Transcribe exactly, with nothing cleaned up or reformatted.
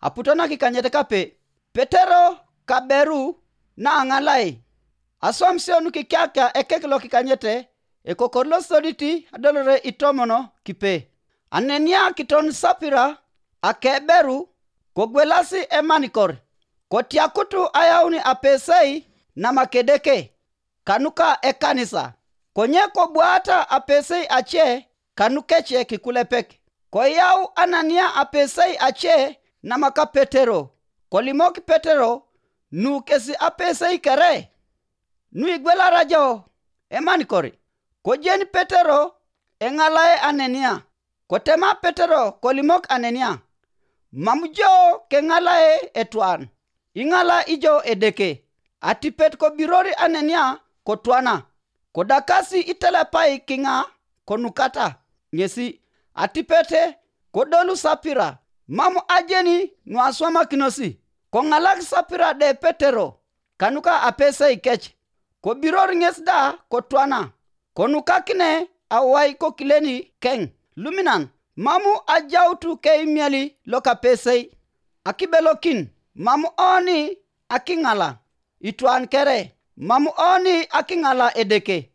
aputona kikanyete kape. Petero kaberu na angalai. Aswamsionu kikyaka ekeklo kikanyete. Ekokorlo soditi adolore itomono kipe. Anenia kiton sapira akeberu kogwelasi emanikor. Kotiakutu ayauni apesei na makedeke. Kanuka ekanisa. Konye kobuata apesei ache kanukeche kikulepek. Koyau Anania apesei ache na maka Petero. Kolimoki Petero nu kesi apesei kere. Nu igwela rajo emanikori. Kojeni Petero engalae Anania. Kotema Petero kolimok Anania. Mamujo kengalae etuan. Ingala ijo edeke. Atipet ko birori Anania kotwana. Kodakasi itelepai kinga konukata. Ngesi atipete kodolu sapira. Mamu ajeni nuaswama kinosi. Kongalak sapira de Petero. Kanuka apese ikech. Ko birori ngesda kotwana. Konuka kine awai ko kileni keng. Luminan. Mamu ajautu ke imiali loka pesei. Akibelokin. Mamu oni akingala. Ituan kere. Mamu oni akingala edeke.